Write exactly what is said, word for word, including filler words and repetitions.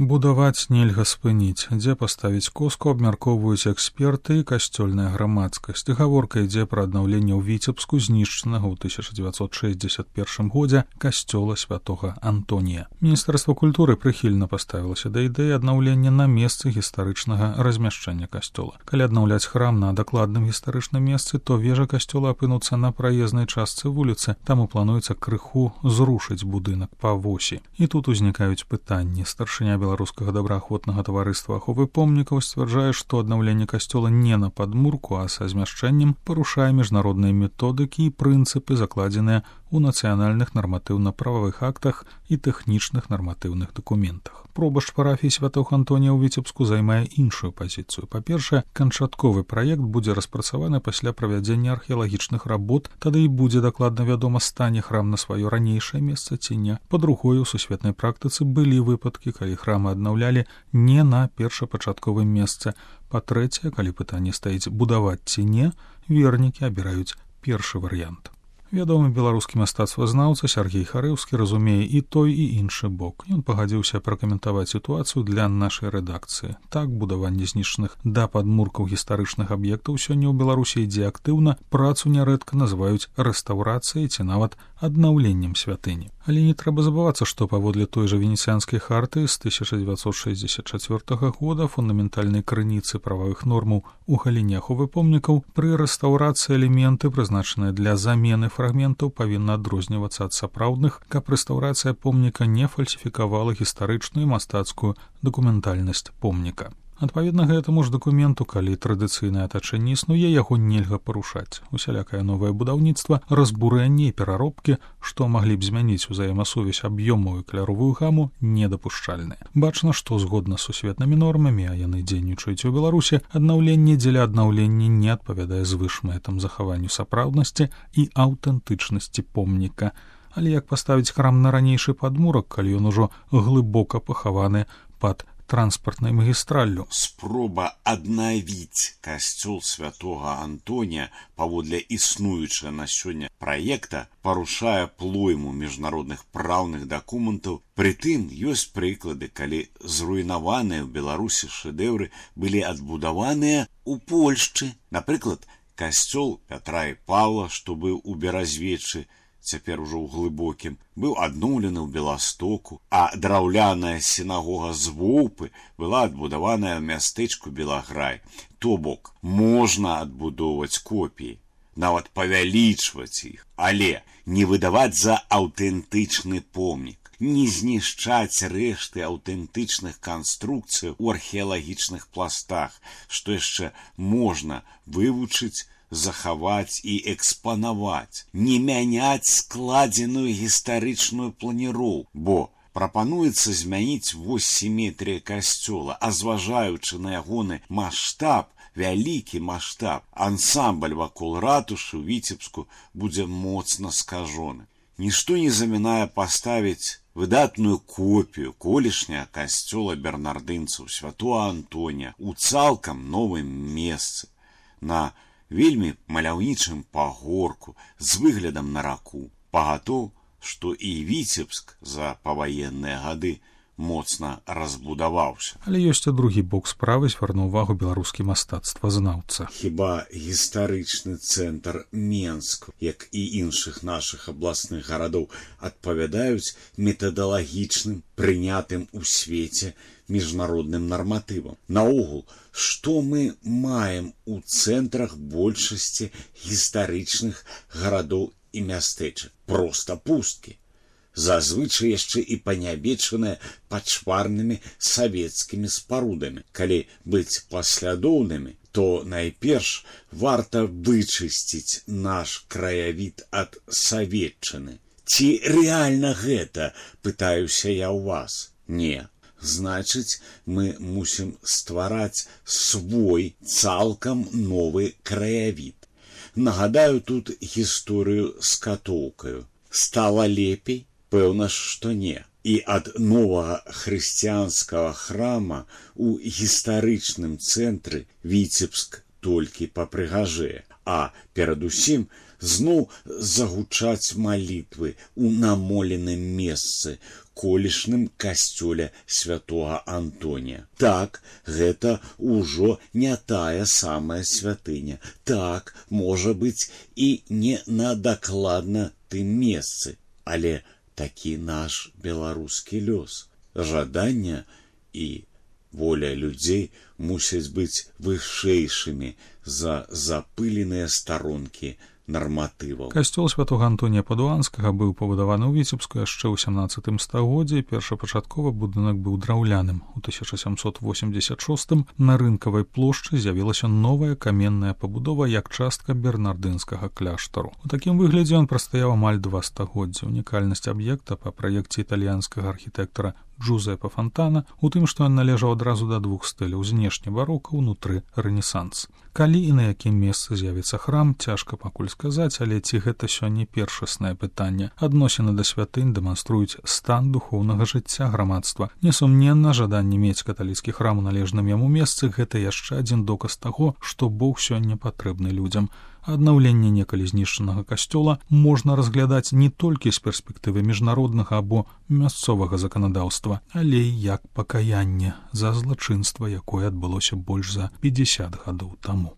Будаваць нельга спыніць, дзе паставіць коску абмяркоўваюць эксперты і касцёльная грамадскасць. Гаворка ідзе пра аднаўленне ў Віцебску знішчанага ў тысяча дзевяцьсот шэсцьдзесят першым годзе касцёла святога Антонія. Міністэрства культуры прыхільна паставілася да ідэі аднаўлення на месцы гістарычнага размяшчэння касцёла. Калі аднаўляць храм на дакладным гістарычным месцы, то вежа касцёла апынуцца на праезнай частцы вуліцы, таму плануецца крыху зрушыць будынак па восі. І тут узнікаюць пытанні. Старшыня беларускага добраахвотнага таварыства аховы помнікаў сцвярджае, што аднаўленне касцёла не на падмурку, а са змяшчэннем парушае міжнародныя методыкі і прынцыпы, закладзеныя у нацыянальных нарматыўна-прававых актах і тэхнічных нарматыўных дакументах. Пробашч парафіі святога Антонія ў Віцебску займае іншую пазіцыю. Па-першае, канчатковы праект будзе распрацаваны пасля правядзення археалагічных работ, тады і будзе дакладна вядома, стане храм на сваё ранейшае месца ці не. Па-другое, у сусветнай практыцы былі выпадкі, калі храмы аднаўлялі не на першапачатковым месцы. Па-трэцяе, калі пытанне стаіць будаваць ці не, вернікі абіраюць першы варыянт. Вядомы беларускі мастацтвазнаўца Сяргей Харэўскі разумее і той, і іншы бок. Ён пагадзіўся пракаментаваць сітуацыю для нашай рэдакцыі. Так, будаванне знішчаных да падмуркаў гістарычных аб'ектаў сёння ў Беларусі ідзе актыўна, працу нярэдка называюць рэстаўрацыяй ці нават аднаўленнем святыні. Але не трэба забывацца, што паводле той жа венецыянскай харты з тысяча дзевяцьсот шэсцьдзесят чацвёртага года фундаментальнай крыніцы прававых нормаў у галіне аховы помнікаў пры рэстаўрацыі элементы, прызначаныя для замены фрагментаў, павінна адрознівацца ад сапраўдных, каб рэстаўрацыя помніка не фальсіфікавала гістарычную і мастацкую дакументальнасць помніка. Адпаведна гэтаму ж дакументу, калі традыцыйнае атачэнне існуе, яго нельга парушаць. Усялякае новае будаўніцтва, разбурэнне і пераробкі, што маглі б змяніць узаемасувязь аб'ёму і каляровую гаму, недапушчальныя. Бачна, што згодна з сусветнымі нормамі, а яны дзейнічаюць у Беларусі, аднаўленне дзеля аднаўлення не адпавядае звышмэтам захаванню сапраўднасці і аўтэнтычнасці помніка. Але як паставіць храм на ранейшы падмурак, калі ён ужо глыбока пахаваны пад транспартнай магістраллю? Спроба аднавіць касцёл святога Антонія паводле існуючага на сёння праекта парушае плойму міжнародных праўных дакументаў. Прытым ёсць прыклады, калі зруйнаваныя ў Беларусі шэдэўры былі адбудаваныя ў Польшчы. Напрыклад, касцёл Пятра і Паўла, што быў у Беразвеччы, цяпер ужо ў глыбокім, быў адноўлены ў Беластоку, а драўляная сінагога з Воўпы была адбудаваная ў мястэчку Белаграй. То бок, можна адбудоўваць копіі, нават павялічваць іх, але не выдаваць за аўтэнтычны помнік, не знішчаць рэшты аўтэнтычных канструкцый у археалагічных пластах, што яшчэ можна вывучыць, захаваць і экспанаваць, не мяняць складзеную гістарычную планіроўку, бо прапануецца змяніць вось сіметрыя касцёла, а зважаючы на ягоны маштаб, вялікі маштаб, ансамбль вакол ратушы ў Віцебску будзе моцна скажоны. Нішто не замінае паставіць выдатную копію колішняга касцёла бернардынцаў святога Антонія ў цалкам новым месцы, на вельмі маляўнічым пагорку з выглядам на раку. Пагатоў, што і Віцебск за паваенныя гады моцна разбудаваўся. Але ёсць і другі бок справы, звярнуў увагу беларускі мастацтвазнаўца. Хіба гістарычны цэнтр Менск, як і іншых нашых абласных гарадоў, адпавядаюць метадалагічным, прынятым у свеце міжнародным нарматывам? Наогул, што мы маем у цэнтрах большасці гістарычных гарадоў і мястэчак? Проста пусткі. Зазвычай яшчэ і панябечаныя пачварнымі савецкімі спарудамі. Калі быць паслядоўнымі, то найперш варта вычысціць наш краявід ад саветчыны. Ці рэальна гэта, пытаюся я ў вас? Не. Значыць, мы мусім ствараць свой цалкам новы краявід. Нагадаю тут гісторыю з катоўкаю. Стала лепей? Пэўна, што не. І ад новага хрысціянскага храма у гістарычным цэнтры Віцебск толькі папрыгажэе, а перадусім зноў загучаць малітвы ў намоленым месцы, колішным касцёле святога Антонія. Так, гэта ўжо не тая самая святыня. Так, можа быць, і не на дакладна тым месцы, але такі наш беларускі лёс. Жадання і воля людзей мусяць быць вышэйшымі за запыленыя старонкі нарматываў. Касцёл святога Антонія Падуанскага быў пабудаваны ў Віцебску яшчэ ў сямнаццатым стагоддзі. Першапачаткова будынак быў драўляным. У тысяча сямсот восемьдесят шостым на рынкавай плошчы з'явілася новая каменная пабудова як частка бернардынскага кляштару. У такім выглядзе ён прастаяў амаль два стагоддзі. Унікальнасць аб'екта па праекце італьянскага архітэктара Джузеппе Фонтана у тым, што ён належаў адразу да двух стыляў: знешне барока, унутры рэнесанс. Калі і на якім месцы з'явіцца храм, цяжка пакуль сказаць, але ці гэта сёння першаснае пытанне. Адносіны да святынь дэманструюць стан духоўнага жыцця грамадства. Несумненна, жаданне мець каталіцкі храм у належным яму месцы — гэта яшчэ адзін доказ таго, што Бог сёння патрэбны людзям. Аднаўленне некалі знішчанага касцёла можна разглядаць не толькі з перспектывы міжнароднага або мясцовага заканадаўства, але і як пакаянне за злачынства, якое адбылося больш за пятьдесят гадоў таму.